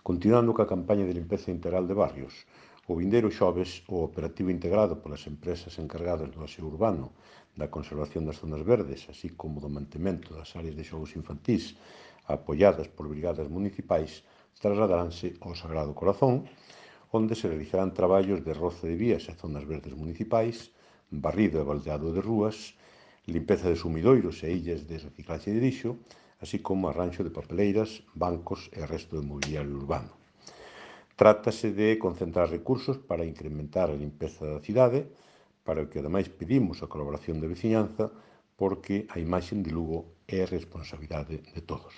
Continuando coa campaña de limpeza integral de barrios, o vindeiro xoves o operativo integrado polas empresas encargadas do aseo urbano, da conservación das zonas verdes, así como do mantemento das áreas de xogos infantís apoiadas por brigadas municipais, trasladaránse ao Sagrado Corazón, onde se realizarán traballos de roce de vías e zonas verdes municipais, barrido e baldeado de rúas, limpeza de sumidoiros e illas de reciclaxe de lixo, así como arranxo de papeleiras, bancos e resto de mobiliario urbano. Trátase de concentrar recursos para incrementar a limpeza da cidade, para o que ademais pedimos a colaboración da veciñanza, porque a imaxe de Lugo é responsabilidade de todos.